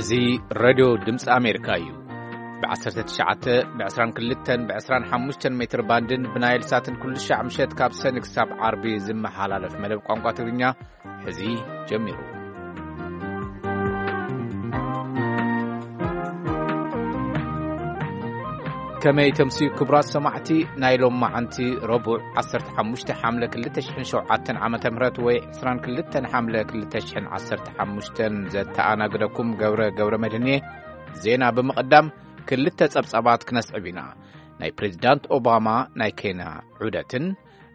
እዚ ሬድዮ ድምፂ ኣሜሪካ እዩ። ብ19፣ ብ22፣ ብ25 ሜትር ባንድን ብናይል ሳትን ኩሉ ሻዕ ምሸት ካብ ሰኒ ክሳብ ዓርቢ ዝመሓላለፍ መደብ ቋንቋ ትግርኛ ሕዚ ጀሚሩ። ከመይ ተምስዩ ክቡራት ሰማዕቲ፣ ናይ ሎም መዓንቲ ረቡዕ 15 ሓምለ 2007 ዓመተ ምህረት ወይ 22 ሓምለ 2015 ዘተኣናግደኩም ገብረ ገብረ መድህን እየ። ዜና ብምቕዳም ክልተ ጸብጻባት ክነስዕብ ኢና። ናይ ፕሬዚዳንት ኦባማ ናይ ኬንያ ዑደትን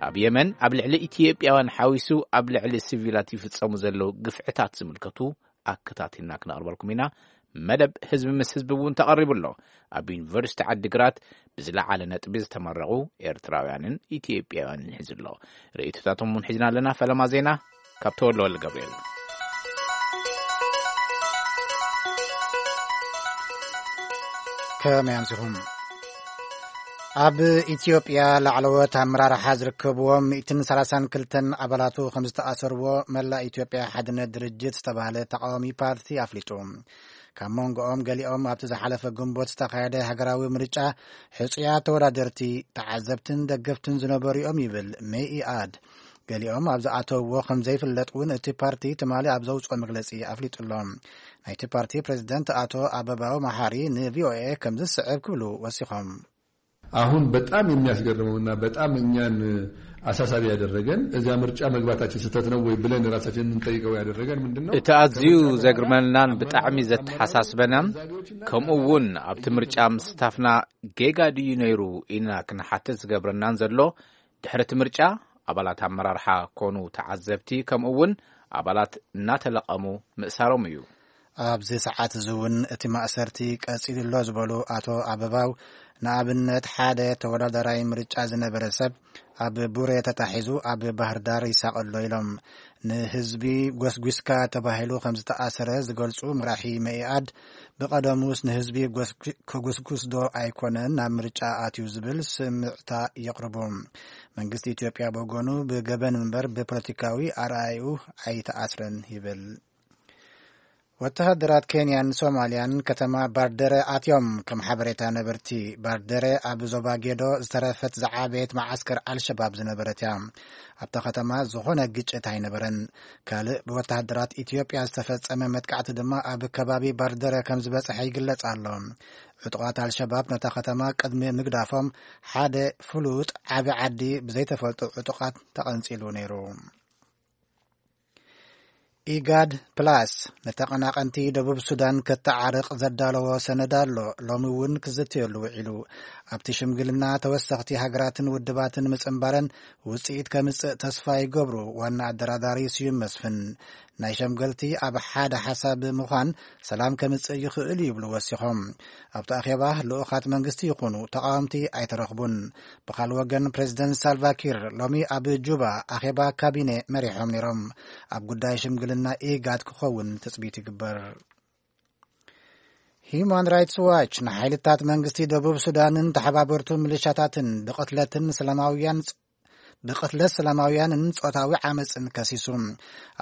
ኣብ የመን ኣብ ልዕሊ ኢትዮጵያውያን ሓዊሱ ኣብ ልዕሊ ሲቪላት ይፍጸሙ ዘለዉ ግፍዕታት ዝምልከቱ ኣከታቲልና ክነቕርበልኩም ኢና። መደብ ህዝቢ ምስ ህዝቢ እውን ተቐሪቡ ኣሎ። ኣብ ዩኒቨርሲቲ ዓዲግራት ብዝለዓለ ነጥቢ ዝተመረቑ ኤርትራውያንን ኢትዮጵያውያንን ሒዙ ኣሎ። ርእይቶታቶም እውን ሒዝና ኣለና። ፈለማ ዜና ካብ ተወልደ ወልደ ገብርኤል። ከመይ ኣምሲኹም? ኣብ ኢትዮጵያ ላዕለዎት ኣመራርሓ ዝርከብዎም 132 ኣባላቱ ከም ዝተኣሰርዎ መላእ ኢትዮጵያ ሓድነት ድርጅት ዝተባህለ ተቃዋሚ ፓርቲ ኣፍሊጡ። ካብ መንጎኦም ገሊኦም ኣብቲ ዝሓለፈ ግንቦት ዝተኻየደ ሃገራዊ ምርጫ ሕጹያት ተወዳደርቲ፣ ተዓዘብትን ደገፍትን ዝነበሩ እዮም ይብል መኢኣድ። ገሊኦም ኣብ ዝኣተውዎ ከም ዘይፍለጥ እውን እቲ ፓርቲ ትማሊ ኣብ ዘውፅኦ መግለጺ ኣፍሊጡ ኣሎ። ናይቲ ፓርቲ ፕሬዝደንት ኣቶ ኣበባው መሓሪ ንቪኦኤ ከም ዝስዕብ ክብሉ ወሲኾም። አሁን በጣም የሚያስገርመውና በጣም እኛን አሳሳቢ ያደረገን እዚያ ምርጫ መግባታችን ስህተት ነው ወይ ብለን ራሳችን እንጠይቀው ያደረገን ምንድን ነው? እቲ ኣዝዩ ዘግርመናን ብጣዕሚ ዘተሓሳስበናን፣ ከምኡ እውን ኣብቲ ምርጫ ምስታፍና ጌጋ ድዩ ነይሩ ኢልና ክንሓትት ዝገብረናን ዘሎ፣ ድሕሪ እቲ ምርጫ ኣባላት ኣመራርሓ ኮኑ ተዓዘብቲ፣ ከምኡ እውን ኣባላት እናተለቐሙ ምእሳሮም እዩ። ኣብዚ ሰዓት እዚ እውን እቲ ማእሰርቲ ቀጺሉ ኣሎ ዝበሉ ኣቶ ኣበባው፣ ንኣብነት ሓደ ተወዳዳራይ ምርጫ ዝነበረ ሰብ ኣብ ቡሬ ተታሒዙ ኣብ ባህር ዳር ይሳቐ ኣሎ ኢሎም። ንህዝቢ ጎስጒስካ ተባሂሉ ከም ዝተኣሰረ ዝገልጹ መራሒ መኢኣድ፣ ብቐደሙስ ንህዝቢ ጎስጒ-፣ ከጉስጉስ ዶ ኣይኮነን ናብ ምርጫ ኣትዩ ዝብል ስምዕታ የቕርቡ። መንግስቲ ኢትዮጵያ ብወገኑ ብገበን እምበር ብፖለቲካዊ ኣረኣእዩ ኣይተኣስረን ይብል። ወተሃደራት ኬንያን ሶማልያን ከተማ ባርደረ ኣትዮም። ከም ሓበሬታ ነበርቲ፣ ባርደረ ኣብ ዞባ ጌዶ ዝተረፈት ዝዓበየት መዓስከር ኣልሸባብ ዝነበረት እያ። ኣብታ ከተማ ዝኾነ ግጭት ኣይነበረን። ካልእ ብወተሃደራት ኢትዮጵያ ዝተፈጸመ መጥቃዕቲ ድማ ኣብ ከባቢ ባርደረ ከም ዝበጽሐ ይግለጽ ኣሎ። ዕጡቓት ኣልሸባብ ነታ ከተማ ቅድሚ ምግዳፎም ሓደ ፍሉጥ ዓቢ ዓዲ ብዘይተፈልጡ ዕጡቓት ተቐንጺሉ ነይሩ። ኢጋድ ፕላስ ንተቐናቐንቲ ደቡብ ሱዳን ከተዓርቕ ዘዳለዎ ሰነድ ኣሎ። ሎሚ እውን ክዝተየሉ ውዒሉ። ኣብቲ ሽምግልና ተወሰኽቲ ሃገራትን ውድባትን ምጽንባረን ውጽኢት ከምጽእ ተስፋ ይገብሩ ዋና ኣደራዳሪ ስዩም መስፍን። ናይ ሸምገልቲ ኣብ ሓደ ሓሳብ ምዃን ሰላም ከምጽእ ይኽእል ይብሉ ወሲኾም። ኣብቲ ኣኼባ ልኡኻት መንግስቲ ይኹኑ ተቃወምቲ ኣይተረኽቡን። ብኻልእ ወገን ፕሬዚደንት ሳልቫኪር ሎሚ ኣብ ጁባ ኣኼባ ካቢኔ መሪሖም ነይሮም። ኣብ ጉዳይ ሽምግልና ኢጋድ ክኸውን ትጽቢት ይግበር። ሂዩማን ራይትስ ዋች ንሓይልታት መንግስቲ ደቡብ ሱዳንን ተሓባበርቱ ሚሊሻታትን ብቕትለትን ሰላማውያን ብቕትለት ሰላማውያንን ጾታዊ ዓመጽን ከሲሱ።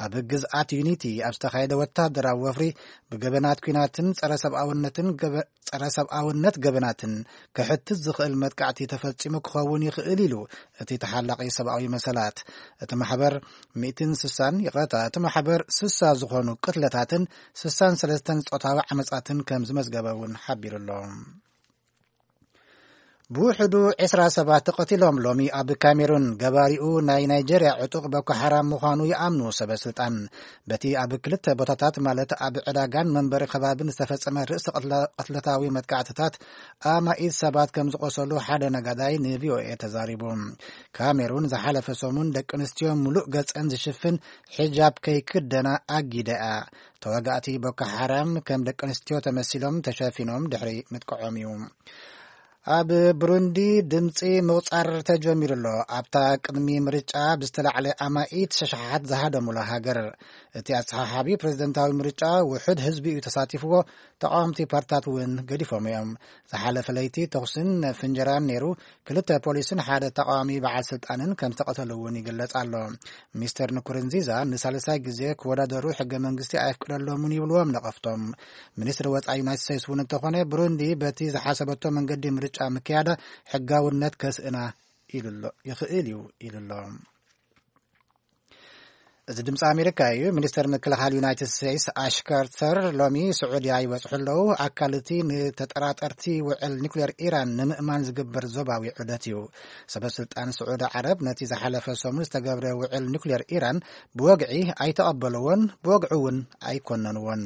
ኣብ ግዝኣት ዩኒቲ ኣብ ዝተኻየደ ወታደራዊ ወፍሪ ብገበናት ኲናትን ጸረ ሰብኣውነትን ገበ-፣ ጸረ ሰብኣውነት ገበናትን ክሕትት ዝኽእል መጥቃዕቲ ተፈጺሙ ክኸውን ይኽእል ኢሉ እቲ ተሓላቒ ሰብኣዊ መሰላት። እቲ ማሕበር ሚእትን ስሳን፣ ይቕረታ፣ እቲ ማሕበር ስሳ ዝኾኑ ቅትለታትን ስሳን ሰለስተን ጾታዊ ዓመጻትን ከም ዝመዝገበ እውን ሓቢሩ ኣሎ። ብውሕዱ ዕስራ ሰባት ተቐቲሎም። ሎሚ ኣብ ካሜሩን ገባሪኡ ናይ ናይጄርያ ዕጡቕ ቦኮ ሓራም ምዃኑ ይኣምኑ ሰበ ስልጣን። በቲ ኣብ ክልተ ቦታታት ማለት ኣብ ዕዳጋን መንበሪ ከባቢን ዝተፈጸመ ርእሰ ቅትለ-፣ ቅትለታዊ መጥቃዕትታት ኣማኢት ሰባት ከም ዝቖሰሉ ሓደ ነጋዳይ ንቪኦኤ ተዛሪቡ። ካሜሩን ዝሓለፈ ሰሙን ደቂ ኣንስትዮ ምሉእ ገጸን ዝሽፍን ሒጃብ ከይክደና ኣጊዳ እያ። ተዋጋእቲ ቦኮ ሓራም ከም ደቂ ኣንስትዮ ተመሲሎም ተሸፊኖም ድሕሪ ምጥቅዖም እዩ። ኣብ ብሩንዲ ድምፂ ምቑፃር ተጀሚሩ ኣሎ። ኣብታ ቅድሚ ምርጫ ብዝተላዕለ ኣማኢት ሸሓሓት ዝሃደሙላ ሃገር፣ እቲ ኣሰሓሓቢ ፕሬዝደንታዊ ምርጫ ውሑድ ህዝቢ እዩ ተሳቲፍዎ፣ ተቃወምቲ ፓርታት እውን ገዲፎም እዮም። ዝሓለፈ ለይቲ ተኹስን ፍንጀራን ነይሩ። ክልተ ፖሊስን ሓደ ተቃዋሚ በዓል ስልጣንን ከም ዝተቐተሉ እውን ይግለጽ ኣሎ። ሚስተር ንኩርንዚዛ ንሳልሳይ ግዜ ክወዳደሩ ሕገ መንግስቲ ኣይፍቅደሎምን ይብልዎም ነቐፍቶም። ሚኒስትሪ ወጻኢ ዩናይትድ ስቴትስ እውን እንተኾነ፣ ብሩንዲ በቲ ዝሓሰበቶ መንገዲ ምርጫ ምክያዳ ሕጋውነት ከስእና ኢሉ ኣሎ፣ ይኽእል እዩ ኢሉ ኣሎ። እዚ ድምፂ ኣሜሪካ እዩ። ሚኒስተር ምክልኻል ዩናይትድ ስቴትስ ኣሽ ካርተር ሎሚ ስዑድያ ይበፅሑ ኣለዉ። ኣካል እቲ ንተጠራጠርቲ ውዕል ኒኩሌር ኢራን ንምእማን ዝግበር ዞባዊ ዑደት እዩ። ሰበ ስልጣን ስዑዲ ዓረብ ነቲ ዝሓለፈ ሰሙን ዝተገብረ ውዕል ኒኩሌር ኢራን ብወግዒ ኣይተቐበልዎን፣ ብወግዒ እውን ኣይኮነንዎን።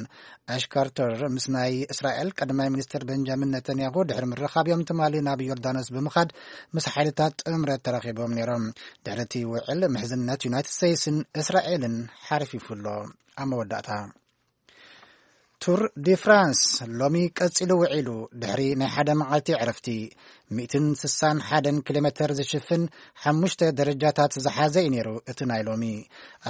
ኣሽ ካርተር ምስ ናይ እስራኤል ቀዳማይ ሚኒስትር ቤንጃሚን ነተንያሁ ድሕሪ ምርኻብዮም ትማሊ ናብ ዮርዳኖስ ብምኻድ ምስ ሓይልታት ጥምረት ተራኺቦም ነይሮም። ድሕሪ እቲ ውዕል ምሕዝነት ዩናይትድ ስቴትስን እስራኤልን ሓርፊፉ ኣሎ። ኣብ መወዳእታ፣ ቱር ዲ ፍራንስ ሎሚ ቀጺሉ ውዒሉ። ድሕሪ ናይ ሓደ መዓልቲ ዕረፍቲ፣ ሚእትን ስሳን ሓደን ኪሎ ሜተር ዝሽፍን ሓሙሽተ ደረጃታት ዝሓዘ እዩ ነይሩ እቲ ናይ ሎሚ።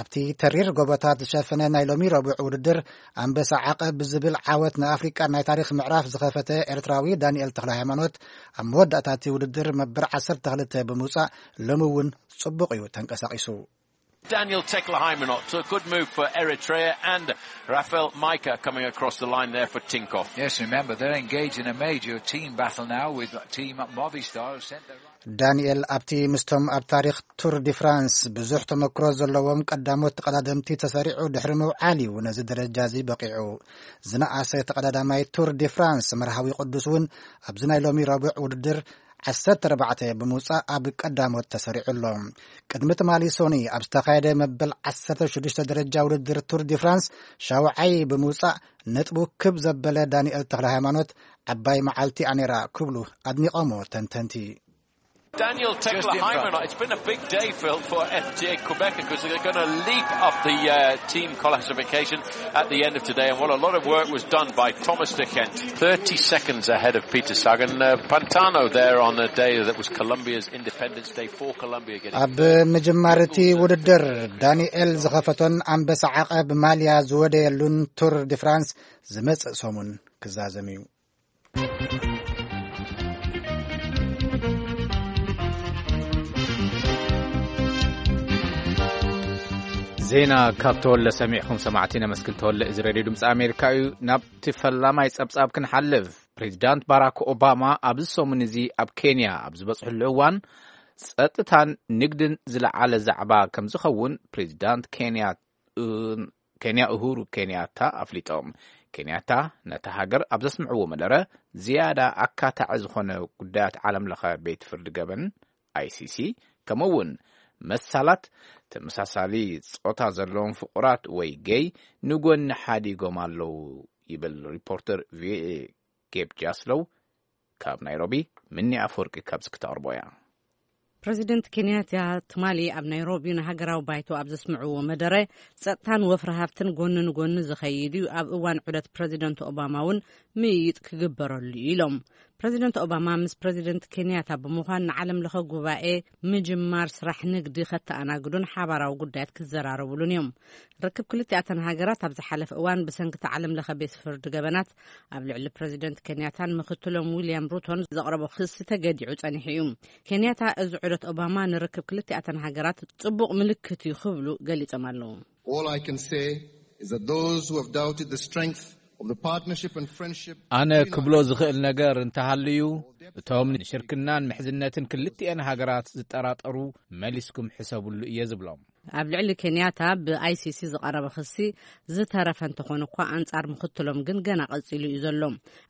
ኣብቲ ተሪር ጎቦታት ዝሸፈነ ናይ ሎሚ ረቡዕ ውድድር፣ ኣንበሳ ዓቐብ ብዝብል ዓወት ንኣፍሪቃ ናይ ታሪኽ ምዕራፍ ዝኸፈተ ኤርትራዊ ዳንኤል ተኽለ ሃይማኖት፣ ኣብ መወዳእታ እቲ ውድድር መበል ዓሰርተ ክልተ ብምውጻእ፣ ሎሚ እውን ጽቡቕ እዩ ተንቀሳቒሱ። Daniel Teklehaimanot, a good move for Eritrea, and Rafael Maika coming across the line there for Tinkoff. Yes, remember, they're engaged in a major team battle now with Team Movistar, who sent their ዳንኤል ኣብቲ ምስቶም ኣብ ታሪኽ ቱር ዲ ፍራንስ ብዙሕ ተመክሮ ዘለዎም ቀዳሞት ተቐዳደምቲ ተሰሪዑ ድሕሪ ምውዓል እዩ ነዚ ደረጃ እዚ በቒዑ። ዝነኣሰ ተቐዳዳማይ ቱር ዲ ፍራንስ መርሃዊ ቅዱስ እውን ኣብዚ ናይ ሎሚ ረቡዕ ውድድር ዓሰርተ ኣርባዕተ ብምውጻእ ኣብ ቀዳሞት ተሰሪዑ ኣሎ። ቅድሚ ትማሊ ሶኒ ኣብ ዝተኻየደ መበል ዓሰርተ ሽዱሽተ ደረጃ ውድድር ቱር ዲ ፍራንስ ሻውዓይ ብምውጻእ ነጥቡ ክብ ዘበለ ዳንኤል ተኽለ ሃይማኖት፣ ዓባይ መዓልቲ ኣኔራ ክብሉ ኣድኒቖሞ ተንተንቲ። Daniel Tekla Hyman, it's been a big day, Phil, for F T A Quebec because they're going to leap up the uh, team classification at the end of today. And what a lot of work was done by Thomas de Gent, thirty seconds ahead of Peter Sagan. Uh, Pantano there on a day that was Colombia's Independence Day for Colombia. Getting ኣብ ምጅማር እቲ ውድድር ዳንኤል ዝኸፈቶን ኣንበሳ ዓቐብ ማልያ ዝወደየሉን ቱር ዲ ፍራንስ ዝመጽእ ሰሙን ክዛዘም እዩ። ዜና ካብ ተወለ ሰሚዕኹም ሰማዕቲ ነመስግን። ተወለ፣ እዚ ሬድዮ ድምፂ ኣሜሪካ እዩ። ናብቲ ፈላማይ ጸብጻብ ክንሓልፍ። ፕሬዚዳንት ባራክ ኦባማ ኣብዚ ሰሙን እዚ ኣብ ኬንያ ኣብ ዝበፅሕሉ እዋን፣ ጸጥታን ንግድን ዝለዓለ ዛዕባ ከም ዝኸውን ፕሬዚዳንት ኬንያ ኬንያ ኡሁሩ ኬንያታ ኣፍሊጦም። ኬንያታ ነታ ሃገር ኣብ ዘስምዕዎ መደረ፣ ዝያዳ ኣካታዒ ዝኾነ ጉዳያት ዓለም ለኸ ቤት ፍርዲ ገበን፣ ኣይሲሲ፣ ከምኡ እውን መሳላት ተመሳሳሊ ጾታ ዘለዎም ፍቑራት ወይ ጌይ ንጎኒ ሓዲጎም ኣለዉ ይብል ሪፖርተር ቪኦኤ ጌብ ጃስሎው። ካብ ናይሮቢ ምኒ ኣፈወርቂ ካብዚ ክተቕርቦ እያ። ፕረዚደንት ኬንያታ ትማሊ ኣብ ናይሮቢ ንሃገራዊ ባይቶ ኣብ ዘስምዕዎ መደረ፣ ጸጥታን ወፍሪ ሃብትን ጎኒ ንጎኒ ዝኸይድ እዩ፣ ኣብ እዋን ዑደት ፕረዚደንት ኦባማ እውን ምይይጥ ክግበረሉ እዩ ኢሎም። ፕረዚደንት ኦባማ ምስ ፕረዚደንት ኬንያታ ብምዃን ንዓለም ለኸ ጉባኤ ምጅማር ስራሕ ንግዲ ከተኣናግዱን ሓባራዊ ጉዳያት ክዘራረቡሉን እዮም። ርክብ ክልቲኣተን ሃገራት ኣብ ዝሓለፈ እዋን ብሰንኪ እቲ ዓለም ለኸ ቤት ፍርዲ ገበናት ኣብ ልዕሊ ፕረዚደንት ኬንያታን ምኽትሎም ዊልያም ሩቶን ዘቕረቦ ክሲ ተገዲዑ ጸኒሑ እዩ። ኬንያታ እዚ ዑደት ኦባማ ንርክብ ክልቲኣተን ሃገራት ጽቡቕ ምልክት እዩ ክብሉ ገሊጾም ኣለዉ። All I can say is that those who have doubted the strength of the partnership and friendship ኣነ between ክብሎ our ዝኽእል ነገር እንተሃልዩ፣ እቶም ንሽርክናን ምሕዝነትን ክልቲኤን ሃገራት ዝጠራጠሩ መሊስኩም ሕሰብሉ እየ ዝብሎም። ኣብ ልዕሊ ኬንያታ ብኣይሲሲ ዝቐረበ ክሲ ዝተረፈ እንተኾነ እኳ፣ ኣንጻር ምኽትሎም ግን ገና ቀጺሉ እዩ ዘሎ።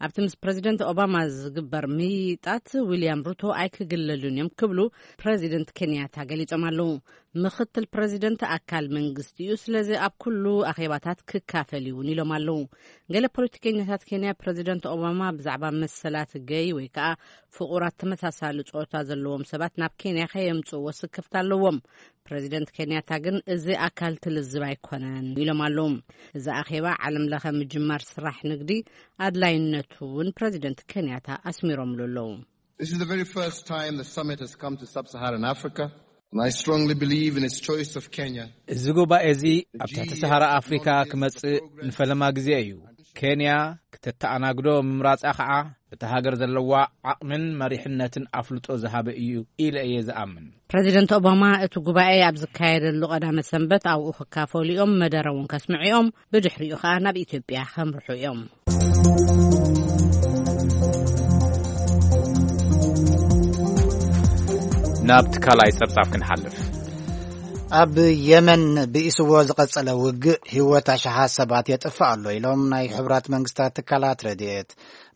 ኣብቲ ምስ ፕረዚደንት ኦባማ ዝግበር ምይይጣት ዊልያም ሩቶ ኣይክግለሉን እዮም ክብሉ ፕረዚደንት ኬንያታ ገሊጾም ኣለዉ። ምኽትል ፕረዚደንት ኣካል መንግስቲ እዩ፣ ስለዚ ኣብ ኩሉ ኣኼባታት ክካፈል እዩ እውን ኢሎም ኣለዉ። ገለ ፖለቲከኛታት ኬንያ ፕረዚደንት ኦባማ ብዛዕባ መሰላት ገይ ወይ ከዓ ፍቑራት ተመሳሳሊ ጾታ ዘለዎም ሰባት ናብ ኬንያ ከየምጽእዎ ስክፍታ ኣለዎም። ፕረዚደንት ኬንያታ ግን እዚ ኣካል እቲ ልዝብ ኣይኮነን ኢሎም ኣለዉ። እዚ ኣኼባ ዓለም ለኸ ምጅማር ስራሕ ንግዲ ኣድላይነቱ እውን ፕረዚደንት ኬንያታ ኣስሚሮምሉ ኣለዉ። This is the very first time the summit has come to sub-Saharan Africa, and I strongly believe in its choice of Kenya. እዚ ጉባኤ እዚ ኣብ ትሕቲ ሰሃራ ኣፍሪካ ክመጽእ ንፈለማ ግዜ እዩ። ኬንያ ክተተኣናግዶ ምምራጻ ከዓ እታ ሃገር ዘለዋ ዓቕምን መሪሕነትን ኣፍልጦ ዝሃበ እዩ ኢለ እየ ዝኣምን። ፕረዚደንት ኦባማ እቲ ጉባኤ ኣብ ዝካየደሉ ቀዳመ ሰንበት ኣብኡ ክካፈሉ እዮም፣ መደረ እውን ከስምዑ እዮም። ብድሕሪኡ ከዓ ናብ ኢትዮጵያ ከምርሑ እዮም። ናብቲ ካልኣይ ጸብጻብ ክንሓልፍ። ኣብ የመን ብኢስዎ ዝቐጸለ ውግእ ህይወት ኣሽሓት ሰባት የጥፍእ ኣሎ ኢሎም ናይ ሕቡራት መንግስታት ትካላት ረድኤት።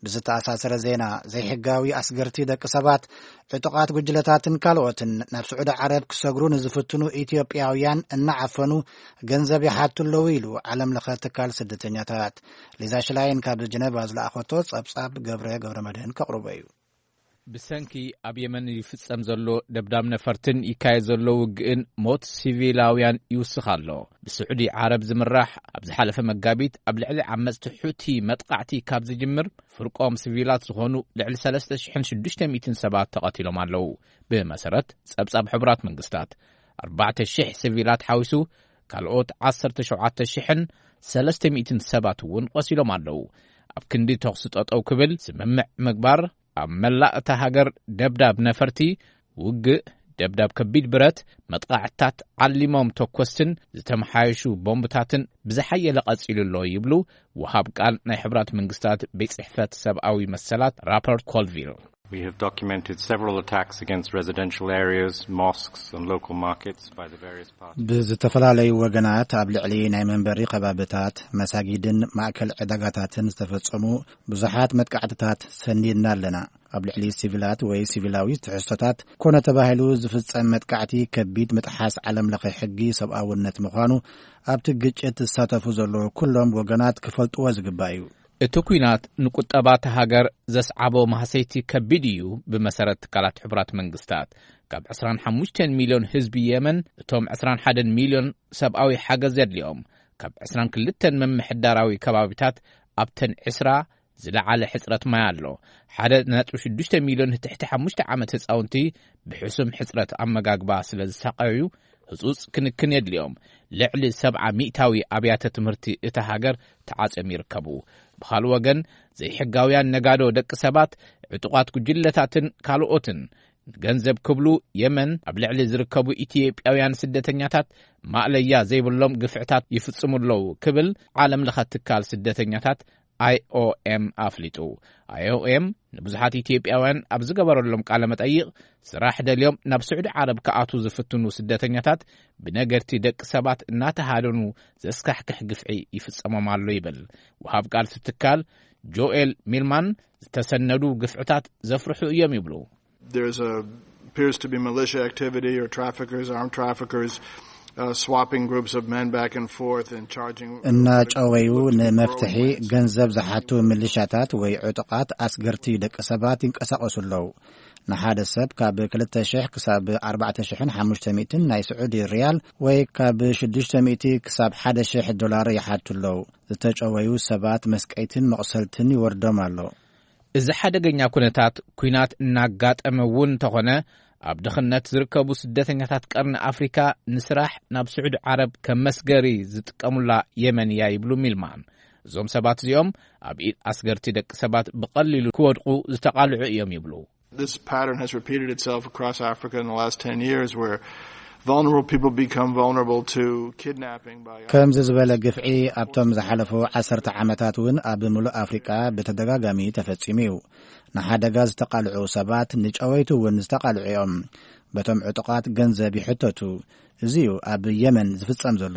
ብዝተኣሳሰረ ዜና፣ ዘይሕጋዊ ኣስገርቲ ደቂ ሰባት፣ ዕጡቓት ጉጅለታትን ካልኦትን ናብ ስዑዲ ዓረብ ክሰግሩ ንዝፍትኑ ኢትዮጵያውያን እናዓፈኑ ገንዘብ ይሓቱ ኣለዉ ኢሉ ዓለም ለኸ ትካል ስደተኛታት። ሊዛ ሽላይን ካብ ጀነቫ ዝለኣኸቶ ጸብጻብ ገብረ ገብረ መድህን ከቕርቦ እዩ። ብሰንኪ ኣብ የመን ይፍጸም ዘሎ ደብዳብ ነፈርትን ይካየድ ዘሎ ውግእን ሞት ሲቪላውያን ይውስኽ ኣሎ። ብስዑዲ ዓረብ ዝምራሕ ኣብ ዝሓለፈ መጋቢት ኣብ ልዕሊ ዓመጽቲ ሑቲ መጥቃዕቲ ካብ ዝጅምር ፍርቆም ሲቪላት ዝኾኑ ልዕሊ ሰለስተ ሽሕን ሽዱሽተ ሚእትን ሰባት ተቐቲሎም ኣለዉ። ብመሰረት ጸብጻብ ሕቡራት መንግስታት ኣርባዕተ ሽሕ ሲቪላት ሓዊሱ ካልኦት ዓሰርተ ሸውዓተ ሽሕን ሰለስተ ሚእትን ሰባት እውን ቆሲሎም ኣለዉ። ኣብ ክንዲ ተኹሲ ጠጠው ክብል ስምምዕ ምግባር ኣብ መላእ እታ ሃገር ደብዳብ ነፈርቲ፣ ውግእ፣ ደብዳብ ከቢድ ብረት፣ መጥቃዕትታት ዓሊሞም ተኮስትን ዝተመሓየሹ ቦምብታትን ብዝሓየለ ቀጺሉ ኣሎ ይብሉ ወሃብ ቃል ናይ ሕብራት መንግስታት ቤት ጽሕፈት ሰብኣዊ መሰላት ራፐርት ኮልቪል። We have documented several attacks against residential areas, mosques and local markets by the various parties. ብዝተፈላለዩ ወገናት ኣብ ልዕሊ ናይ መንበሪ ከባብታት፣ መሳጊድን ማእከል ዕዳጋታትን ዝተፈጸሙ ብዙሓት መጥቃዕትታት ሰኒድና ኣለና። ኣብ ልዕሊ ሲቪላት ወይ ሲቪላዊ ትሕዝቶታት ኮነ ተባሂሉ ዝፍጸም መጥቃዕቲ ከቢድ ምጥሓስ ዓለም ለኸ ሕጊ ሰብኣውነት ምዃኑ ኣብቲ ግጭት ዝሳተፉ ዘለዉ ኩሎም ወገናት ክፈልጥዎ ዝግባእ እዩ። እቲ ኲናት ንቁጠባ እታ ሃገር ዘስዓቦ ማህሰይቲ ከቢድ እዩ። ብመሰረት ትካላት ሕቡራት መንግስታት፣ ካብ ዕስራን ሓሙሽተን ሚልዮን ህዝቢ የመን፣ እቶም ዕስራን ሓደን ሚልዮን ሰብኣዊ ሓገዝ ዘድልዮም፣ ካብ ዕስራን ክልተን ምምሕዳራዊ ከባቢታት ኣብተን ዕስራ ዝለዓለ ሕጽረት ማይ ኣሎ። ሓደ ነጥቢ ሽዱሽተ ሚልዮን ትሕቲ ሓሙሽተ ዓመት ህጻውንቲ ብሕሱም ሕጽረት ኣመጋግባ ስለ ዝሳቐዩ፣ ህጹጽ ክንክን የድልዮም። ልዕሊ ሰብዓ ሚእታዊ ኣብያተ ትምህርቲ እታ ሃገር ተዓጽዮም ይርከቡ። ብኻልእ ወገን፣ ዘይሕጋውያን ነጋዶ ደቂ ሰባት፣ ዕጡቓት ጉጅለታትን ካልኦትን ገንዘብ ክብሉ የመን ኣብ ልዕሊ ዝርከቡ ኢትዮጵያውያን ስደተኛታት ማእለያ ዘይብሎም ግፍዕታት ይፍጽሙ ኣለዉ ክብል ዓለም ለኸ ትካል ስደተኛታት ኣይ ኦ ኤም ኣፍሊጡ። ኣይ ኦ ኤም ንብዙሓት ኢትዮጵያውያን ኣብ ዝገበረሎም ቃለ መጠይቕ፣ ስራሕ ደልዮም ናብ ስዑዲ ዓረብ ክኣትዉ ዝፍትኑ ስደተኛታት ብነገድቲ ደቂ ሰባት እናተሃደኑ ዘስካሕክሕ ግፍዒ ይፍጸሞም ኣሎ ይብል። ወሃብ ቃል እቲ ትካል ጆኤል ሚልማን፣ ዝተሰነዱ ግፍዕታት ዘፍርሑ እዮም ይብሉ። There's a, appears to be militia activity or traffickers, armed traffickers, uh, swapping groups of men back and forth and charging እናጨወዩ ንመፍትሒ ገንዘብ ዝሓቱ ሚሊሻታት ወይ ዕጡቓት ኣስገርቲ ደቂ ሰባት ይንቀሳቐሱ ኣለዉ። ንሓደ ሰብ ካብ ክልተ ሽሕ ክሳብ ኣርባዕተ ሽሕን ሓሙሽተ ሚእትን ናይ ስዑዲ ሪያል ወይ ካብ ሽዱሽተ ሚእቲ ክሳብ ሓደ ሽሕ ዶላር ይሓቱ ኣለዉ። ዝተጨወዩ ሰባት መስቀይትን መቑሰልትን ይወርዶም ኣሎ። እዚ ሓደገኛ ኩነታት ኲናት እናጋጠመ እውን እንተኾነ፣ ኣብ ድኽነት ዝርከቡ ስደተኛታት ቀርኒ ኣፍሪካ ንስራሕ ናብ ስዑዲ ዓረብ ከም መስገሪ ዝጥቀሙላ የመን እያ ይብሉ ሚልማን። እዞም ሰባት እዚኦም ኣብ ኢድ ኣስገርቲ ደቂ ሰባት ብቐሊሉ ክወድቁ ዝተቓልዑ እዮም ይብሉ። This pattern has repeated itself across Africa in the last ten years, where vulnerable people become vulnerable to kidnapping by ከምዚ ዝበለ ግፍዒ ኣብቶም ዝሓለፉ ዓሰርተ ዓመታት እውን ኣብ ምሉእ ኣፍሪቃ ብተደጋጋሚ ተፈጺሙ እዩ። ንሓደጋ ዝተቓልዑ ሰባት ንጨወይቲ እውን ዝተቓልዑ እዮም። በቶም ዕጡቓት ገንዘብ ይሕተቱ። እዚ እዩ ኣብ የመን ዝፍጸም ዘሎ።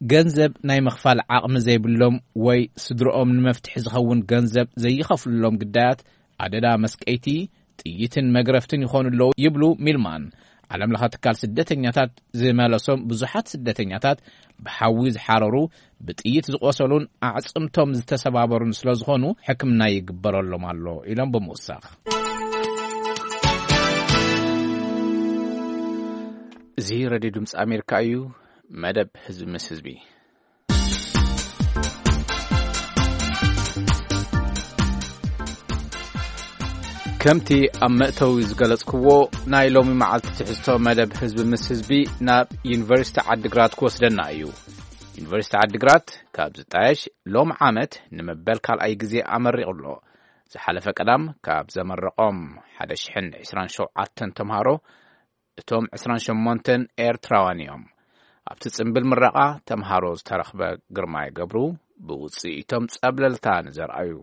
ገንዘብ ናይ ምኽፋል ዓቕሚ ዘይብሎም ወይ ስድርኦም ንመፍትሒ ዝኸውን ገንዘብ ዘይኸፍልሎም ግዳያት ኣደዳ መስቀይቲ፣ ጥይትን መግረፍትን ይኾኑ ኣለዉ ይብሉ ሚልማን። ዓለም ለኸ ትካል ስደተኛታት ዝመለሶም ብዙሓት ስደተኛታት ብሓዊ ዝሓረሩ፣ ብጥይት ዝቖሰሉን ኣዕጽምቶም ዝተሰባበሩን ስለ ዝኾኑ ሕክምና ይግበረሎም ኣሎ ኢሎም ብምውሳኽ። እዚ ሬድዮ ድምፂ ኣሜሪካ እዩ። መደብ ህዝቢ ምስ ህዝቢ። ከምቲ ኣብ መእተዊ ዝገለጽክዎ፣ ናይ ሎሚ መዓልቲ ትሕዝቶ መደብ ህዝቢ ምስ ህዝቢ ናብ ዩኒቨርሲቲ ዓዲግራት ክወስደና እዩ። ዩኒቨርሲቲ ዓዲግራት ካብ ዝጣየሽ ሎም ዓመት ንመበል ካልኣይ ግዜ ኣመሪቑ ኣሎ። ዝሓለፈ ቀዳም ካብ ዘመረቖም ሓደ ሽሕን ዕስራን ሸውዓተን ተምሃሮ፣ እቶም ዕስራን ሸሞንተን ኤርትራውያን እዮም። ኣብቲ ጽምብል ምረቓ ተምሃሮ ዝተረኽበ ግርማይ ገብሩ፣ ብውጽኢቶም ጸብለልታ ንዘርኣዩ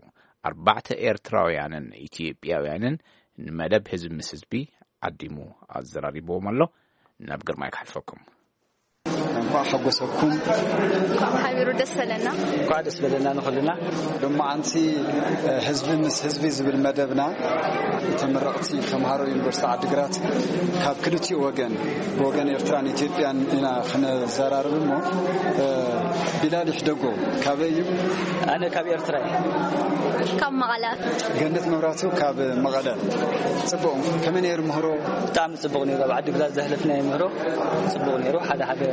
ኣርባዕተ ኤርትራውያንን ኢትዮጵያውያንን ንመደብ ህዝቢ ምስ ህዝቢ ዓዲሙ ኣዘራሪብዎም ኣሎ። ናብ ግርማይ ክሓልፈኩም። እንኳዕ ሓጎሰኩም። ሓቢሩ ደስ በለና። እንኳዕ ደስ በለና ንኹልና። ሎማዓንቲ ህዝቢ ምስ ህዝቢ ዝብል መደብና፣ ተመረቕቲ ተምሃሮ ዩኒቨርሲቲ ዓዲግራት ካብ ክልቲኡ ወገን፣ ብወገን ኤርትራን ኢትዮጵያን ኢና ክነዘራርብ እሞ፣ ቢላል ይሕደጎ ካበይ እዩ? ኣነ ካብ ኤርትራ እየ። ካብ መቐለ። ገነት መብራቱ ካብ መቐለ። ጽቡቕ። ከመይ ነይሩ ምህሮ? ብጣዕሚ ጽቡቕ ነይሩ። ኣብ ዓዲግራት ዘሕለፍናዮ ምህሮ ጽቡቕ ነይሩ። ሓደ ሓደ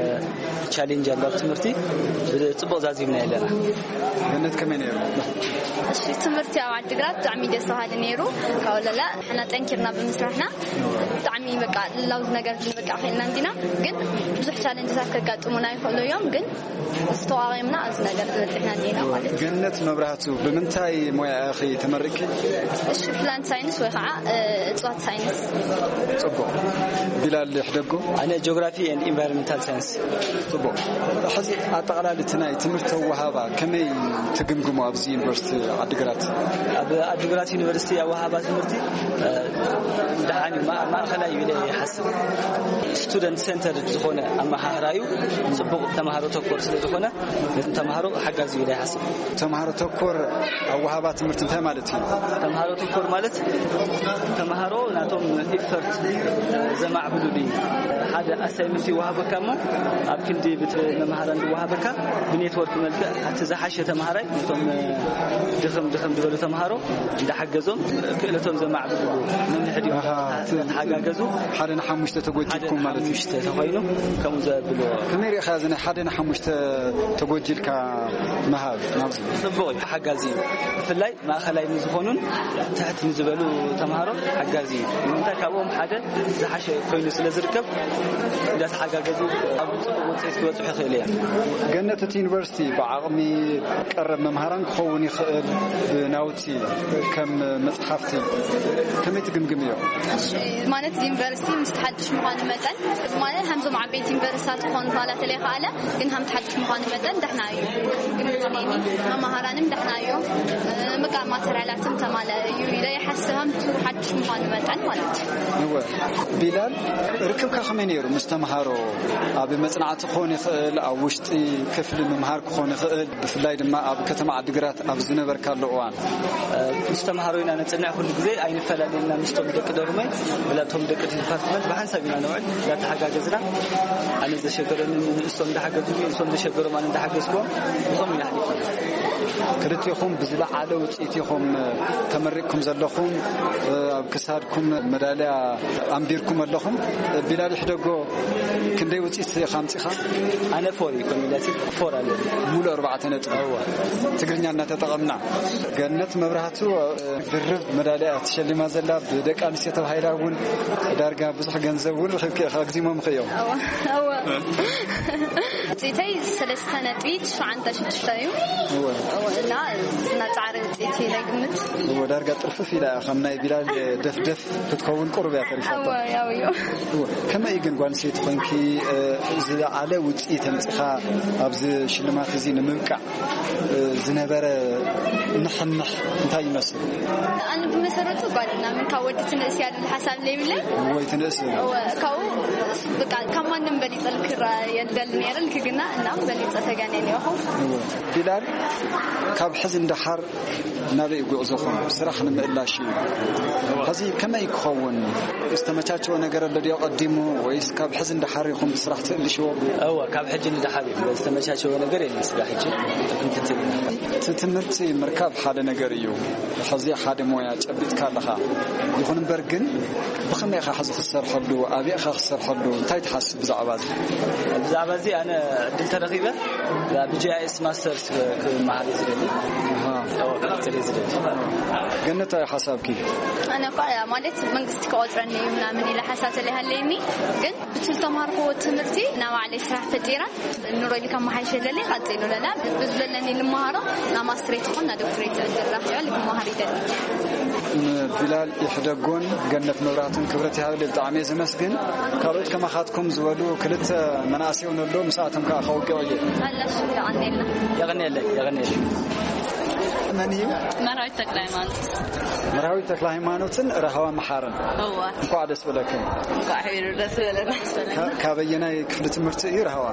ቻሌንጅ ኣሎ ኣብ ትምህርቲ፣ ጽቡቕ ዛዚምና ኣለና። ገነት ከመይ ነይሩ? እሺ፣ ትምህርቲ ኣብ ዓዲግራት ብጣዕሚ ደስ በሃሊ ነይሩ። ካብ ወለላ ንሕና ጠንኪርና ብምስራሕና ብጣዕሚ በቃ ላውዝ ነገር ክንበቃ ኽኢልና እንዲና፣ ግን ብዙሕ ቻሌንጅታት ከጋጥሙና ይኽእሉ እዮም፣ ግን ምስ ተዋቒምና ኣብዚ ነገር ዝበፅሕና እንዲና ማለት እዩ። ገነት መብራህቱ፣ ብምንታይ ሞያ ኢኺ ተመሪቕኪ? እሺ፣ ፕላንት ሳይንስ ወይ ከዓ እ፣ እፅዋት ሳይንስ። ጽቡቕ። ቢላል ሕደጎ? ኣነ ጂኦግራፊ ኤንድ ኢንቫይሮንመንታል ሳይንስ። ጽቡቕ። ሕዚ ኣጠቓላሊ እቲ ናይ ትምህርቲ ኣወሃባ ከመይ ትግምግሞ ኣብዚ ዩኒቨርሲቲ ዓዲግራት? ኣብ ዓዲግራት ዩኒቨርሲቲ ኣወሃባ ትምህርቲ እ፣ ደሓን እዩ፣ ማ- ማእኸላይ እዩ ኢለ ይሓስብ። ስቱደንት ሴንተርድ ዝኾነ ኣመሃህራ እዩ። ጽቡቕ ተምሃሮ ተኮር ስለ ዝኾነ ነቶም ተምሃሮ ሓጋዚ እዩ ኢለ ይሓስብ። ተምሃሮ ተኮር ኣወሃባ ትምህርቲ እንታይ ማለት እዩ? ተምሃሮ ተኮር ማለት ተምሃሮ ናቶም ኢፈርት ዘማዕብሉሉ እዩ። ሓደ ኣሳይመንት ይወሃበካ እሞ ኣብ ክንዲ ብት መምሃራን ዝወሃበካ ብኔትወርክ መልክዕ እቲ ዝሓሸ ተምሃራይ ነቶም ድኽም ድኽም ዝበሉ ተምሃሮ እንዳሓገዞም ክእለቶም ዘማዕብሉ መምርሒ ድዩ? ኣሃ፣ እቲ ተሓጋገዙ ሓደ ንሓሙሽተ ተጎጂልኩም ማለት እዩ። ሓሙሽተ ተኾይኑ ከምኡ ዘብልዎ። ከመይ ርኢኻ እዚ ናይ ሓደ ንሓሙሽተ ተጎጂልካ ምሃብ ናብዚ? ጽቡቕ እዩ፣ ሓጋዚ እዩ። ብፍላይ ማእኸላይ ንዝኾኑን ትሕት ንዝበሉ ተምሃሮ ሓጋዚ እዩ። ንምንታይ ካብኦም ሓደ ዝሓሸ ኮይኑ ስለ ዝርከብ እንዳተሓጋገዙ ኣብ ጽቡቕ ውፅኢት ክበፅሑ ይኽእሉ እዮም። ገነት እቲ ዩኒቨርሲቲ ብዓቕሚ ቀረብ መምሃራን ክኸውን ይኽእል፣ ብናውቲ ከም መጽሓፍቲ ከመይ ትግምግምዮ? ማለት ዩኒቨርሲቲ ምስ ሓድሽ ምዃኑ መጠን ማለት ከምዞም ዓበይቲ ዩኒቨርሲታት ክኾኑ ፋላ ተለይኸኣለ ግን ከም ሓድሽ ምዃኑ መጠን ደሕና እዩ። ግን መምሃራንም ደሕና እዮም። በቃ ማተርያላትም ተማለ እዩ ኢለ ይሓስብ። ከምቱ ሓድሽ ምዃኑ መጠን ማለት እዩ። እወ። ቢላል፣ ርክብካ ከመይ ነይሩ ምስ ተምሃሮ? ኣብ መጽናዕቲ ክኾን ይኽእል፣ ኣብ ውሽጢ ክፍሊ ምምሃር ክኾን ይኽእል፣ ብፍላይ ድማ ኣብ ከተማ ዓዲግራት ኣብ ዝነበርካሉ እዋን። ምስ ተምሃሮ ኢና ነጽንዕ፣ ኩሉ ግዜ ኣይንፈላለየና። ምስቶም ደቂ ዶርመይ ብላቶም ደቂ ዲፓርትመንት ብሓንሳብ ኢና ነውዕል፣ እንዳተሓጋገዝና። ኣነ ዘሸገረኒ ንእስቶም እንዳሓገዙ፣ ንእስቶም ዘሸገሮም ኣነ እንዳሓገዝኩዎም፣ ብኸምኡ ኢና ሓሊፍና። ክልቲኹም ብዝለዓለ ውፅኢት ኢኹም ተመሪቕኩም ዘለኹም። ኣብ ክሳድኩም መዳልያ ኣንቢርኩም ኣለኹም። ቢላል ይሕደጎ፣ ክንደይ ውፅኢት ኢኻ ኣምፂኻ? ኣነ ፎር እዩ ኮሚላቲቭ ፎር ኣለኒ። ሙሉእ ኣርባዕተ ነጥቢ። እወ። ትግርኛ እናተጠቐምና። ገነት መብራህቱ ድርብ መዳልያ ተሸሊማ ዘላ፣ ብደቂ ኣንስትዮ ተባሂላ እውን ዳርጋ ብዙሕ ገንዘብ እውን ረኺብኪ ኢኻ፣ ኣግዚሞምኺ እዮም። እወ፣ እወ። ውፅኢተይ ሰለስተ ነጥቢ ትሽዓተ ሽዱሽተ እዩ። እወ። እወ፣ እና እና ፃዕሪ ውፅኢት ናይ ግምት። እወ፣ ዳርጋ ጥርፍፍ ኢላ እያ፣ ከም ናይ ቢላል ደፍደፍ ክትከውን ቁሩብ እያ ተሪፋታ። እወ፣ ያው እዩ። እወ፣ ከመይ ግን ጓል ኣንስተይቲ ኮይንኪ፣ እ፣ ዝለዓለ ውፅኢት ኣምፂኻ ኣብዚ ሽልማት እዚ ንምብቃዕ፣ እ፣ ዝነበረ ንሕንሕ እንታይ ይመስል? ኣነ ብመሰረቱ ጓል እና ምን ካብ ወዲ ትንእስ እያ ዝብል ሓሳብ ለይብለይ። ወይ ትንእስ። እወ፣ ካብኡ በቃ ካብ ማንም በሊጸ ልክራ የደል ነይረ ልክግና እናም በሊጸ ተጋኔን እዮኹ። እወ። ቢላል፣ ካብ ሕዚ እንደሓር ናበይ ጉዕዞኹም? ስራሕ ንምእላሽ እዩ። ሕዚ ከመይ ክኸውን? ዝተመቻቸወ ነገር ኣሎ ድዮ ቀዲሙ? ወይስ ካብ ሕዚ እንደሓር ኢኹም ብስራሕ ትእልሽዎ? እወ፣ ካብ ሕጂ ንደሓር እዩ። ዝተመቻቸወ ነገር የለን። ስራሕ ሕጂ ክንክትል ኢና። እቲ ትምህርቲ ምርካብ ሓደ ነገር እዩ። ሕዚ ሓደ ሞያ ጨቢጥካ ኣለኻ። ይኹን እምበር ግን ብኸመይ ኢኻ ሕዚ ክትሰርሐሉ? ኣበይ ኢኻ ክትሰርሐሉ? እንታይ ትሓስብ? ብዛዕባ እዚ? ብዛዕባ እዚ ኣነ ዕድል ተረኺበ ብጂኣይኤስ ማስተርስ ክመሃር እዩ ዝደሊ። ክቐጽል እዩ ዝደሊ። ገነት፣ እንታይ ሓሳብኪ? ኣነ እኳ ማለት መንግስቲ ክቆፅረኒ እዩ ምናምን ኢለ ሓሳብ ተለይሃለይኒ፣ ግን ብቲ ዝተማርኩዎ ትምህርቲ ናብ ባዕለይ ስራሕ ፈጢራ ኑሮ ኢሉ ከመሓይሸለለይ ቀፂሉ ለላ ብዝበለኒ ልመሃሮ ናብ ማስትሬት ይኹን ናብ ዶክትሬት ዕድል ራኺበ ልመሃር ይደሊ። ንቢላል ይሕደጎን ገነት መብራህትን ክብረት ይሃበለይ፣ ብጣዕሚ እየ ዘመስግን። ካልኦት ከማኻትኩም ዝበሉ ክልተ መናእሰይ እውን ኣሎ፣ ምስኣቶም ከዓ ከውግዕ እየ። ኣላሽ የቐኔልና። የቐኔለይ፣ የቐኔለይ። መን እዩ? መርሃዊት ተክለ ሃይማኖት። መርሃዊት ተክለ ሃይማኖትን ረሃዋ መሓርን። እዋ። እንኳዕ ደስ በለክን። እንኳዕ ሄሩ ደስ በለና። ካ- ካበየናይ ክፍሊ ትምህርቲ እዩ ረሃዋ?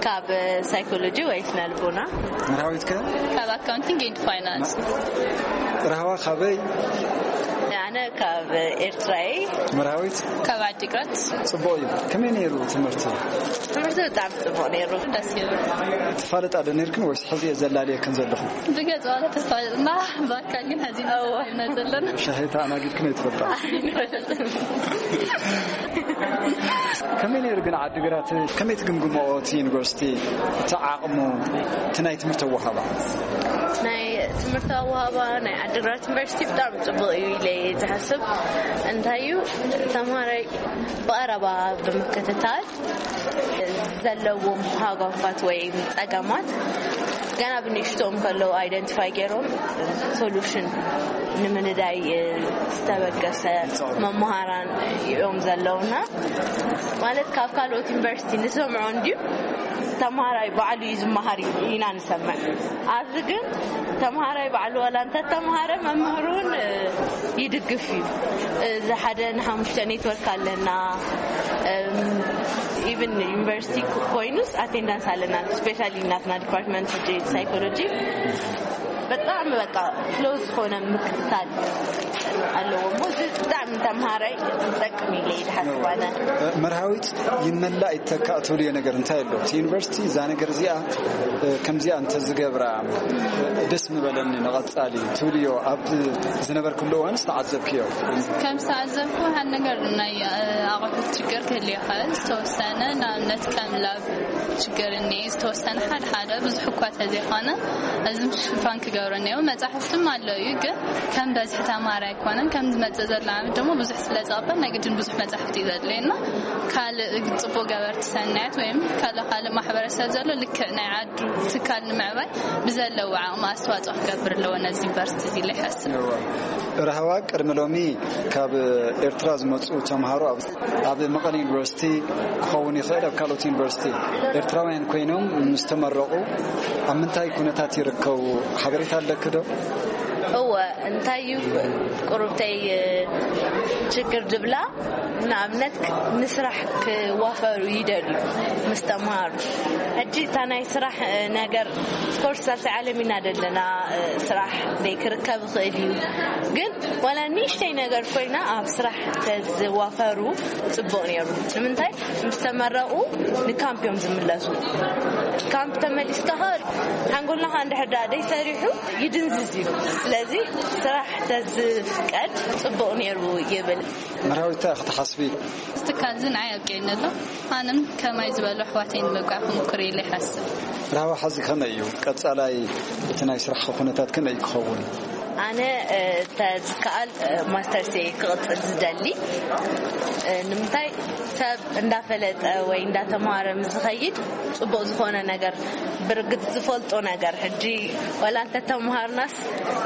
ካብ ሳይኮሎጂ ወይ ስነ ልቦና። መርሃዊት ከ? ካብ ኣካውንቲንግ ኤንድ ፋይናንስ። ረሃዋ ካበይ? ኣነ ካብ ኤርትራይ። መርሃዊት? ካብ ዓዲግራት። ጽቡቕ እዩ። ከመይ ነይሩ ትምህርቲ? ትምህርቲ ብጣዕሚ ጽቡቕ ነይሩ። ደስ ይብል። ትፋለጣ ዶ ነይርክን ወይስ ሕዚ እየ ዘላልየክን ዘለኹ? ብገጽ ዋላ ተፋለጥና፣ ብኣካል ግን ሕዚ ኢና እዎ። ተፋሊጥና ዘለና። ሻሂ ተኣናጊድክን ኣይትፈልጣ? ከመይ ነይሩ ግን ዓዲግራት? ከመይ ትግምግምኦ እቲ ዩኒቨርሲቲ? እቲ ዓቕሙ፣ እቲ ናይ ትምህርቲ ኣወሃባ? ናይ ትምህርቲ ኣወሃባ ናይ ዓዲግራት ዩኒቨርሲቲ ብጣዕሚ ጽቡቕ እዩ ኢለ እየ ዝሓስብ። እንታይ እዩ፣ ተምሃራይ ብቐረባ ብምክትታል ዘለዎም ሃጓፋት ወይ ጸገማት ገና ብንእሽቶኦም ከለዉ ኣይደንቲፋይ ገይሮም ሶሉሽን ንምንዳይ ዝተበገሰ መምሃራን እዮም ዘለውና። ማለት ካብ ካልኦት ዩኒቨርሲቲ ንሰምዖ እንድዩ፣ ተምሃራይ ባዕሉ እዩ ዝመሃር ኢና ንሰምዕ። ኣብዚ ግን ተምሃራይ ባዕሉ ዋላ እንተተምሃረ መምህር እውን ይድግፍ እዩ። እዚ ሓደ ንሓሙሽተ ኔትወርክ ኣለና። ኢቭን ዩኒቨርሲቲ ኮይኑስ ኣቴንዳንስ ኣለና። ስፔሻሊ ናትና ዲፓርትመንት ሕጂ ሳይኮሎጂ በጣም በቃ ክሎዝ ዝኾነ ምክትታል ኣለዎ እሞ እዚ ብጣዕሚ ንተምሃራይ ዝጠቅም ኢለ ይድሓስብ ኣነ። መርሃዊት ይመላእ ይተካእ ትብልዮ ነገር እንታይ ኣሎ? እቲ ዩኒቨርሲቲ እዛ ነገር እዚኣ፣ እ፣ ከምዚኣ እንተዝገብራ፣ እ፣ ደስ ምበለኒ ንቐጻሊ ትብልዮ ኣብ ዝነበርክሉ እዋን ዝተዓዘብክዮ? ከም ዝተዓዘብኩ ሓደ ነገር ናይ፣ እ፣ ኣቑሑት ችግር ክህልዮ ይኽእል። ዝተወሰነ ንኣብነት ከም ላብ ችግር እኒአ፣ ዝተወሰነ ሓደ ሓደ ብዙሕ እኳ ተዘይኮነ እዚ ሽፋን ክገብሩ እኒአው። መጻሕፍትም ኣሎ እዩ፣ ግን ከም በዝሒ ተማሪ ኣይኮነን። ከም ዝመጽእ ዘሎ ዓመት ደግሞ ብዙሕ ስለ ዝቐበል ናይ ግድን ብዙሕ መጻሕፍቲ እዩ ዘድልየና። ካልእ ጽቡቕ ገበርቲ ሰናያት ወይም ካልእ ካልእ ማሕበረሰብ ዘሎ ልክዕ ናይ ዓዱ ትካል ንምዕባይ ብዘለዎ ዓቕሚ ኣስተዋጽኦ ክገብር ኣለዎ ነዚ ዩኒቨርሲቲ እዚ ኢለ ይሓስብ። ረሃዋ ቅድሚ ሎሚ ካብ ኤርትራ ዝመጹ ተምሃሮ ኣብ፣ ኣብ መቐለ ዩኒቨርሲቲ ክኸውን ይኽእል፣ ኣብ ካልኦት ዩኒቨርሲቲ ኤርትራውያን ኮይኖም ምስ ተመረቑ ኣብ ምንታይ ኩነታት ይርከቡ? ሓበሬታ ኣለኪ ዶ? እወ፣ እንታይ እዩ ቁሩብተይ ችግር ድብላ፣ ንኣብነት ክ-፣ ንስራሕ ክዋፈሩ ይደልዩ ምስ ተምሃሩ። ሕጂ እታ ናይ ስራሕ ነገር፣ ኦፍኮርስ፣ ኣብቲ ዓለም ኢና ዘለና፣ ስራሕ ደይ ክርከብ ይኽእል እዩ። ግን ዋላ ንእሽተይ ነገር ኮይና ኣብ ስራሕ ተዝዋፈሩ ጽቡቕ ነይሩ። ንምንታይ? ምስ ተመረቑ ንካምፕ እዮም ዝምለሱ። ካምፕ ተመሊስካ ኸ ሓንጎልና ኸ እንድሕር ደኣ ደይ ሰሪሑ ይድንዝዝ እዩ። ስለዚ ስራሕ ተዝፍቀድ ጽቡቕ ነይሩ ይብል። መርሃዊት እንታይ ኢኺ ትሓስቢ? እዚ ትካል እዚ ንዓይ ኣብቂዕኒ ኣሎ። ኣነም ከማይ ዝበሉ ኣሕዋተይ ንምብቃዕ ክምኩር ኢለ ይሓስብ። ራህዋ ሐዚ ከመይ እዩ? ቀጻላይ እቲ ናይ ስራሕ ኩነታት ከመይ ክኸውን? ኣነ፣ እ፣ ተዝከኣል፣ እ፣ ማስተርስ እየ ክቕጽል ዝደሊ። እ፣ ንምንታይ ሰብ እንዳፈለጠ ወይ እንዳተማሃረ ምስ ዝኸይድ ጽቡቕ ዝኾነ ነገር ብርግጽ ዝፈልጦ ነገር፣ ሕጂ ወላ እንተተምሃርናስ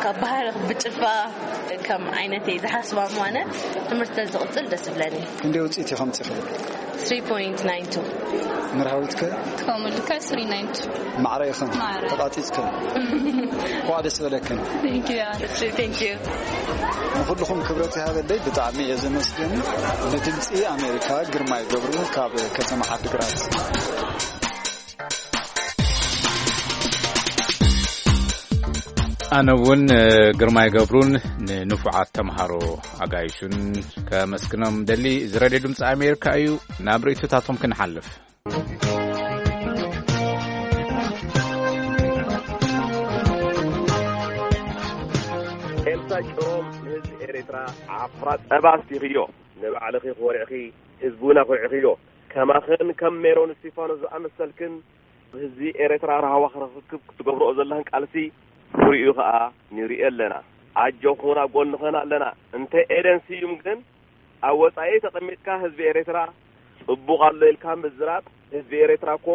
ካብ ባህሪ ብጭልፋ ከም ዓይነት እየ ዝሓስባ እሞ ኣነ ትምህርቲ ተዝቕጽል ደስ ይብለኒ። ክንደይ ውጽኢት ኢኺ ኣምጺእኺ? ትሪ ፖይንት ናይን ቱ። መርሃዊትከ? ከምኡ ልካ ስሪ ናይን ቱ። ማዕረ ኢኽን? ማዕረ። ተቓጺጽክን? እንኳዕ ደስ በለክን። Thank you። Thank you። ንኹልኹም ክብረት ይሃበለይ፣ ብጣዕሚ እየ ዘመስግን። ንድምጺ ኣሜሪካ ግርማይ ገብሩ ካብ ከተማ ዓዲግራት። ኣነ እውን ግርማይ ገብሩን ንንፉዓት ተምሃሮ ኣጋይሹን ከመስግኖም ደሊ። እዚ ሬድዮ ድምፂ ኣሜሪካ እዩ። ናብ ርእይቶታቶም ክንሓልፍ። ኤልሳ ጭሮም ንህዝቢ ኤርትራ ዓፍራ ጸባ ኣስቲኽዮ። ንባዕልኺ ኮሪዕኺ ህዝቢ እውን ኣኹሪዕኽዮ። ከማኽን ከም ሜሮን እስቲፋኖስ ዝኣመሰልክን ህዝቢ ኤርትራ ራህዋ ክረክብ ክትገብርኦ ዘለኽን ቃልሲ ፍሪኡ ከኣ ንሪኦ ኣለና። ኣጆኹን ኣብ ጎንኽን ኣለና። እንተ ኤደን ስዩም ግን ኣብ ወጻኢ ተቐሚጥካ ህዝቢ ኤርትራ ጽቡቕ ኣሎ ኢልካ ምዝራብ፣ ህዝቢ ኤርትራ እኮ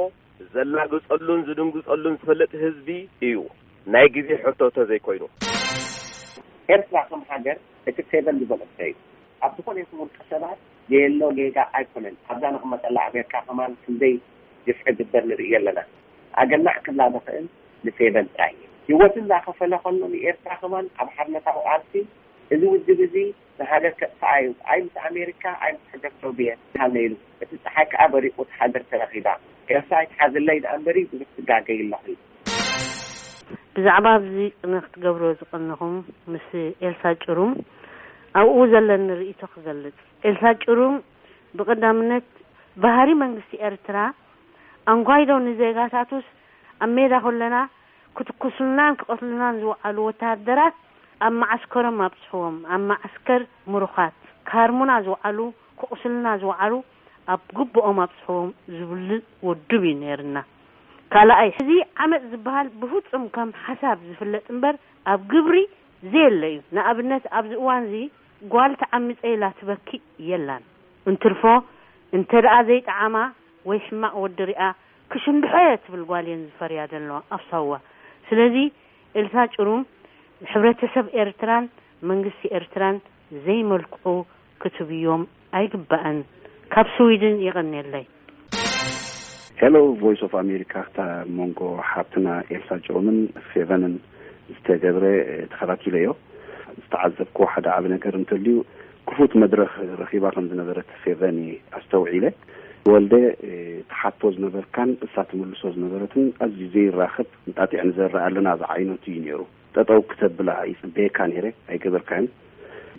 ዘላግጸሉን ዝድንግጸሉን ዝፈልጥ ህዝቢ እዩ። ናይ ግዜ ሕቶ ተዘይኮይኑ። ኤርትራ ከም ሃገር እቲ ፌቨን ዝበለቶ እዩ። ኣብ ዝኾነ ይኹን ውልቀ ሰባት ዘየሎ ጌጋ ኣይኮነን። ኣብዛ ንቕመጠላ ኣሜሪካ ከማን ክንደይ ግፍዒ ግበር ንርኢ ኣለና። ኣገናዕ ክብላ ዝኽእል ንፌቨን ጥራይ እዩ። ህይወቱ እንዳኸፈለ ከሎ ንኤርትራ ከማን ኣብ ሓርነታዊ ቃልሲ እዚ ውድብ እዚ ንሃገር ከጥፍኣ እዩ። ኣይ ምስ ኣሜሪካ ኣይ ምስ ሕብረት ሶቭየት ሃለ ኢሉ። እቲ ጸሓይ ከኣ በሪቑ እቲ ሃገር ተረኺባ። ኤርትራ ኣይትሓዝለይ ደኣ እምበሪ ብዙሕ ትጋገይ ኣለኺ። ብዛዕባ ኣብዚ ቅነ ክትገብሮ ዝቐነኹም ምስ ኤልሳ ጭሩም ኣብኡ ዘለኒ ርእይቶ ክገልጽ። ኤልሳ ጭሩም ብቐዳምነት ባህሪ መንግስቲ ኤርትራ ኣንኳይዶ ንዜጋታቱስ ኣብ ሜዳ ኮለና ክትኩሱልናን ክቐትሉናን ዝወዓሉ ወተሃደራት ኣብ መዓስከሮም ኣብጽሕዎም፣ ኣብ መዓስከር ምሩኻት ካርሙና ዝወዓሉ ክቑስልና ዝወዓሉ ኣብ ግብኦም ኣብጽሕዎም ዝብል ውድብ እዩ ነይርና። ካልኣይ፣ እዚ ዓመጽ ዝበሃል ብፍጹም ከም ሓሳብ ዝፍለጥ እምበር ኣብ ግብሪ ዘየለ እዩ። ንኣብነት ኣብዚ እዋን እዚ ጓል ተዓሚጸ ኢላ ትበኪ የላን። እንትርፎ እንተ ደኣ ዘይጠዓማ ወይ ሕማቕ ወዲ ሪኣ ክሽንድሖ እየ ትብል ጓል እየን ዝፈርያ ዘለዋ ኣብ ሳዋ። ስለዚ ኤልሳ ጭሩም ሕብረተሰብ ኤርትራን መንግስቲ ኤርትራን ዘይመልክዑ ክትብዮም ኣይግባእን። ካብ ስዊድን የቐንየለይ። ሄሎ ቮይስ ኦፍ ኣሜሪካ፣ ክታ መንጎ ሓብትና ኤልሳ ጭሩምን ፌቨንን ዝተገብረ ተኸታቲለዮ። ዝተዓዘብኩ ሓደ ዓቢ ነገር እንተልዩ ክፉት መድረኽ ረኺባ ከም ዝነበረት ፌቨን እየ ኣስተውዒለ። ወልደ ትሓቶ ዝነበርካን እሳ ትምልሶ ዝነበረትን ኣዝዩ ዘይራኸብ እንጣጢዕ ንዘርእ ኣለና ዝዓይነቱ እዩ ነይሩ። ጠጠው ክተብላ ይጽበየካ ነይረ፣ ኣይገበርካን።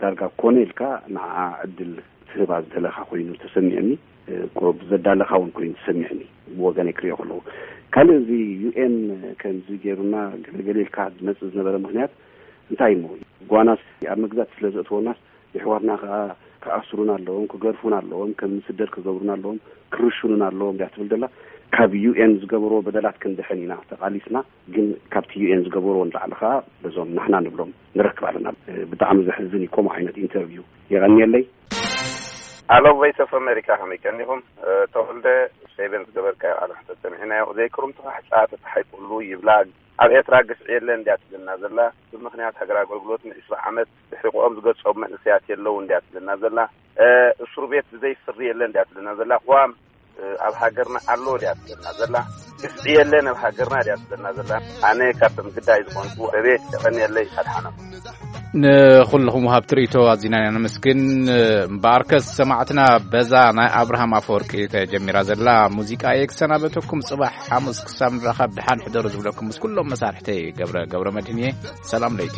ዳርጋ ኮነ ኢልካ ንዓ ዕድል ትህባ ዝደለኻ ኮይኑ ተሰሚዕኒ። ብዘዳለኻ እውን ኮይኑ ተሰሚዕኒ፣ ብወገነይ ክሪኦ ከለዉ። ካልእ እዚ ዩ ኤን ከምዚ ገይሩና ገለገለ ኢልካ ዝመጽእ ዝነበረ ምኽንያት እንታይ እሞ፣ ጓናስ ኣብ መግዛእቲ ስለ ዘእትወናስ የሕዋትና ከዓ ክኣስሩና ኣለዎም፣ ክገርፉና ኣለዎም፣ ከም ንስደድ ክገብሩና ኣለዎም፣ ክርሽኑና ኣለዎም ድያ ትብል ዘላ? ካብ ዩ ኤን ዝገበርዎ በደላት ክንድሕን ኢና ተቓሊስና፣ ግን ካብቲ ዩ ኤን ዝገበርዎ ንላዕሊ ከዓ በዞም ንሕና ንብሎም ንረክብ ኣለና። ብጣዕሚ ዘሕዝን እዩ ከምኡ ዓይነት ኢንተርቪው። የቐንየለይ። ኣሎ ቮይስ ኦፍ ኣሜሪካ ከመይ ቀኒኹም? ተወልደ ፌቨን ዝገበርካዮ ቃለ መሕተት ሰሚዕናዮ። ዘይክሩም ተፋሕጫ ተተሓይቁሉ ይብላ። ኣብ ኤርትራ ግፍዒ የለን እንድያ ትብለና ዘላ። ብምኽንያት ሃገር ኣገልግሎት ንዒስራ ዓመት ድሕሪ ቁኦም ዝገጾም መንእሰያት የለውን እንድያ ትብለና ዘላ። እስሩ ቤት ብዘይ ፍርዲ የለን እንድያ ትብለና ዘላ። ቅዋም ኣብ ሃገርና ኣሎ ድያ ትብለና ዘላ? ግፍዒ የለን ኣብ ሃገርና ድያ ትብለና ዘላ? ኣነ ካብቶም ግዳይ ዝኾንኩ ረቤት የቐንየለይ ኣድሓኖም። ንኹልኹም ወሃብቲ ርእይቶ ኣዚና ኢና ነመስግን። እምበኣርከስ ሰማዕትና በዛ ናይ ኣብርሃም ኣፈወርቂ ተጀሚራ ዘላ ሙዚቃ እየ ክሰናበተኩም። ጽባሕ ሓሙስ ክሳብ ንራኸብ ደሓን ሕደሩ ዝብለኩም ምስ ኩሎም መሳርሕተይ ገብረ ገብረ መድህን እየ። ሰላም ለይቲ።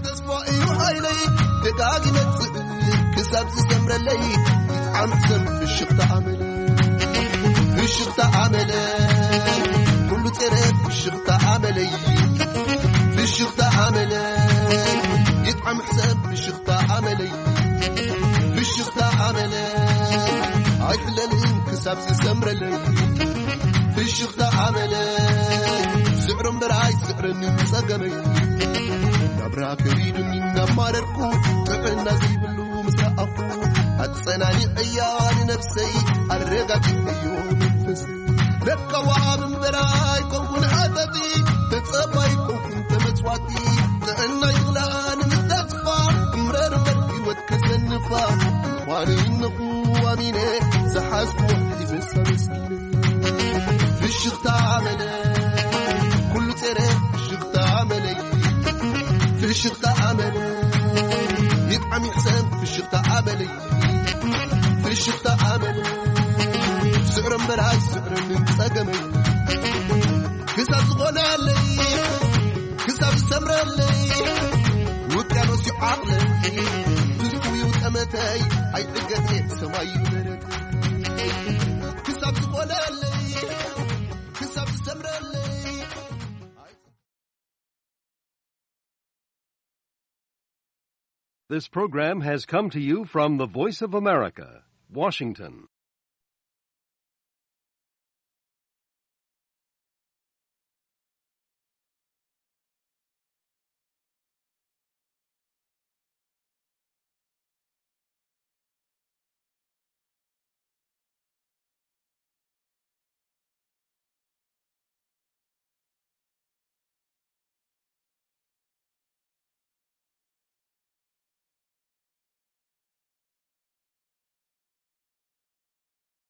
ተስፋ እዩ ሓይለይ ደጋግ ይመጽእ ክሳብ ዝሰምረለይ ይጥዓም ሰብ ፍሽኽታ ኣመለይ ፍሽኽታ ኣመለይ ኩሉ ጸረ ፍሽኽታ ኣመለይ ፍሽኽታ ኣመለይ ይጥዓም ሰብ ፍሽኽታ ኣመለይ ፍሽኽታ ኣመለይ ኣይሕለልን ክሳብ ዝሰምረለይ ፍሽኽታ ኣመለይ ስዕሮ እምበር ኣይስዕረኒ ጸገመይ ናብራ ከቢዱኒ እናማረርኩ ጥዕና ዘይብሉ ምስ ረኣኹ ኣጸናኒዐያ ንነብሰይ ኣረጋጊዐዮ መንፈስ ለካዋብ እምበር ኣይኮንኩን ሓተቲ ተጸባይ ኮንኩን ተመጽዋቲ ጥዕና ይኽላ ንምተስፋ እምረር እምበር ህይወት ከሰንፋ ምዃኑ ይነኹ ኣሚነ ዝሓዝኩ ሒዘ ሳመስኪነ ፍሽኽታ ኣመለ ኩሉ ጼረ ፍሽኽታ ኣመለይ ፍሽኽታ ኣመለ ይጥዓም ይሕሰን ፍሽኽታ ኣመለይ ፍሽኽታ ኣመለ ስዕሮ እምበር ኣይስዕረንን ጸገመይ ክሳብ ዝኾነለይ ክሳብ ዝሰምረለይ ውቅያኖስ ይዓቕለይ ትዝትውዩ ጠመተይ ኣይዕገት ሰማይ ይበረት ክሳብ ዝኾነለይ ክሳብ ዝሰምረለይ This program has come to you from the Voice of America, Washington.